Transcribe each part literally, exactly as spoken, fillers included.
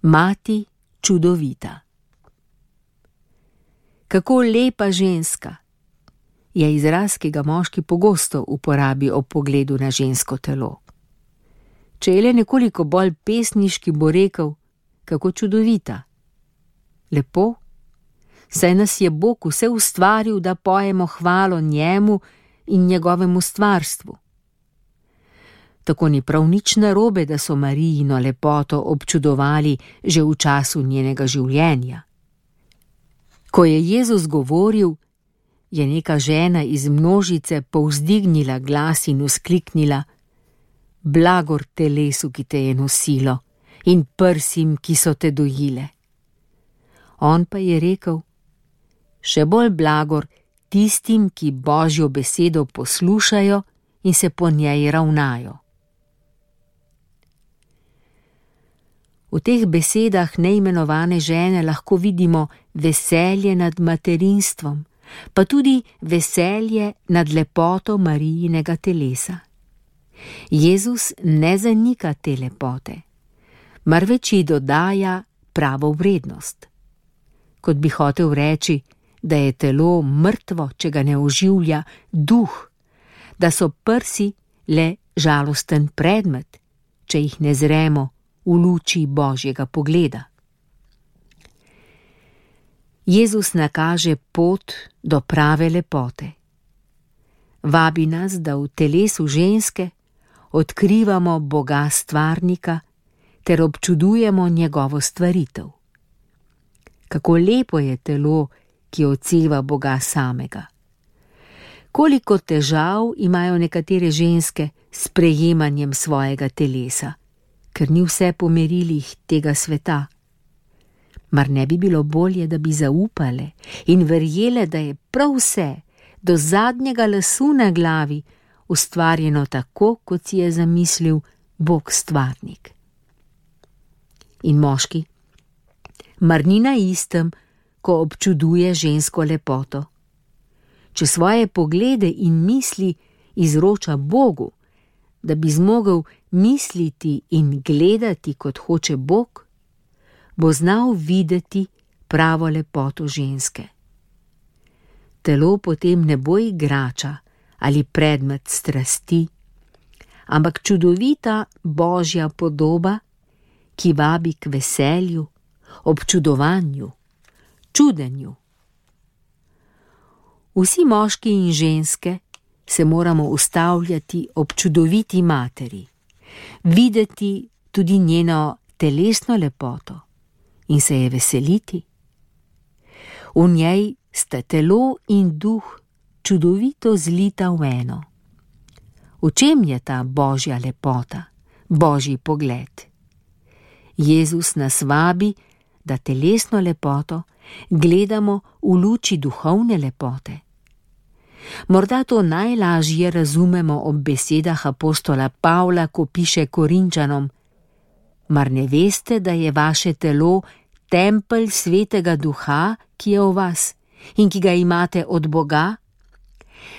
Mati čudovita. Kako lepa ženska je izraz, ki ga moški pogosto uporabi ob pogledu na žensko telo. Če je le nekoliko bolj pesniški, bo rekel, kako čudovita. Lepo, saj nas je Bog vse ustvaril, da pojemo hvalo njemu in njegovemu stvarstvu. Tako ni prav nič narobe, da so Marijino lepoto občudovali že v času njenega življenja. Ko je Jezus govoril, je neka žena iz množice povzdignila glas in vzkliknila: Blagor telesu, ki te je nosilo, in prsim, ki so te dojile. On pa je rekel: Še bolj blagor tistim, ki Božjo besedo poslušajo in se po njej ravnajo. V teh besedah neimenovane žene lahko vidimo veselje nad materinstvom, pa tudi veselje nad lepoto Marijinega telesa. Jezus ne zanika te lepote, marveč ji dodaja pravo vrednost. Kot bi hotel reči, da je telo mrtvo, če ga ne oživlja duh, da so prsi le žalosten predmet, če jih ne zremo v luči Božjega pogleda. Jezus nakaže pot do prave lepote. Vabi nas, da v telesu ženske odkrivamo Boga stvarnika ter občudujemo njegovo stvaritev. Kako lepo je telo, ki odseva Boga samega. Koliko težav imajo nekatere ženske s prejemanjem svojega telesa, ker ni vse po merilih tega sveta. Mar ne bi bilo bolje, da bi zaupale in verjele, da je prav vse, do zadnjega lasu na glavi, ustvarjeno tako, kot si je zamislil Bog stvarnik. In moški, mar ni na istem, ko občuduje žensko lepoto? Če svoje poglede in misli izroča Bogu, da bi zmogel misliti in gledati, kot hoče Bog, bo znal videti pravo lepoto ženske. Telo potem ne bo igrača ali predmet strasti, ampak čudovita Božja podoba, ki vabi k veselju, občudovanju, čudenju. Vsi moški in ženske se moramo ustavljati ob čudoviti materi, videti tudi njeno telesno lepoto in se je veseliti. V njej sta telo in duh čudovito zlita v eno. V čem je ta Božja lepota, Božji pogled? Jezus nas vabi, da telesno lepoto gledamo v luči duhovne lepote. Morda to najlažje razumemo ob besedah apostola Pavla, ko piše Korinčanom: Mar ne veste, da je vaše telo tempelj svetega duha, ki je v vas in ki ga imate od Boga?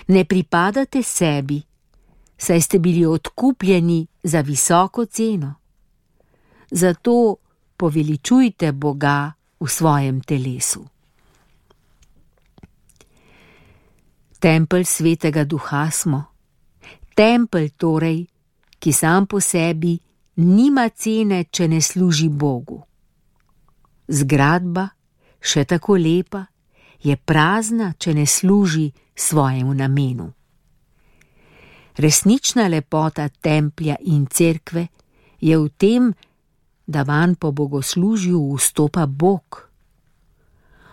Ne pripadate sebi, saj ste bili odkupljeni za visoko ceno. Zato poveličujte Boga v svojem telesu. Tempelj svetega duha smo. Tempelj torej, ki sam po sebi nima cene, če ne služi Bogu. Zgradba, še tako lepa, je prazna, če ne služi svojemu namenu. Resnična lepota templja in cerkve je v tem, da vanj po bogoslužju vstopa Bog.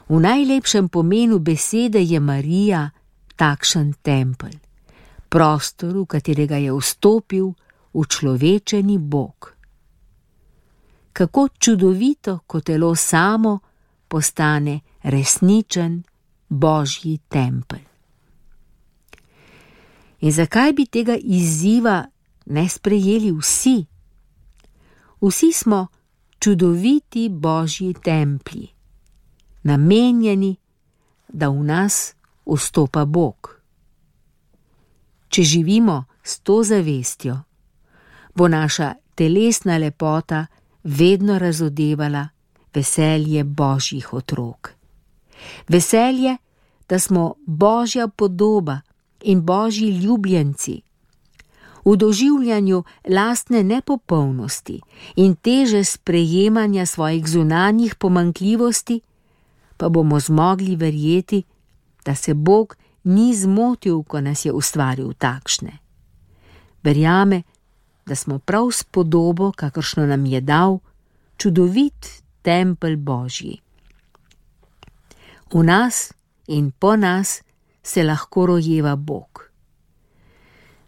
V najlepšem pomenu besede je Marija takšen tempelj, prostor, v katerega je vstopil učlovečeni Bog. Kako čudovito, ko telo samo postane resničen Božji tempelj. In zakaj bi tega izziva ne sprejeli vsi? Vsi smo čudoviti Božji templji, namenjeni, da v nas vstopa Bog. Če živimo s to zavestjo, bo naša telesna lepota vedno razodevala veselje Božjih otrok. Veselje, da smo Božja podoba in Božji ljubljenci. V doživljanju lastne nepopolnosti in teže sprejemanja svojih zunanjih pomanjkljivosti pa bomo zmogli verjeti, da se Bog ni zmotil, ko nas je ustvaril takšne. Verjame, da smo prav s podobo, kakršno nam je dal, čudovit tempelj Božji. V nas in po nas se lahko rojeva Bog.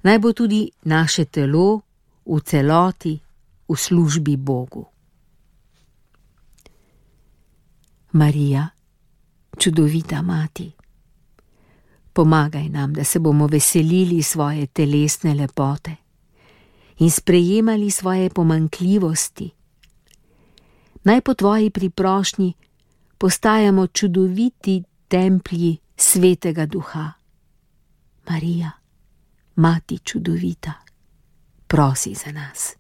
Naj bo tudi naše telo v celoti v službi Bogu. Marija, čudovita mati, pomagaj nam, da se bomo veselili svoje telesne lepote in sprejemali svoje pomanjkljivosti. Naj po tvoji priprošnji postajamo čudoviti templji Svetega Duha. Marija, Mati čudovita, prosi za nas.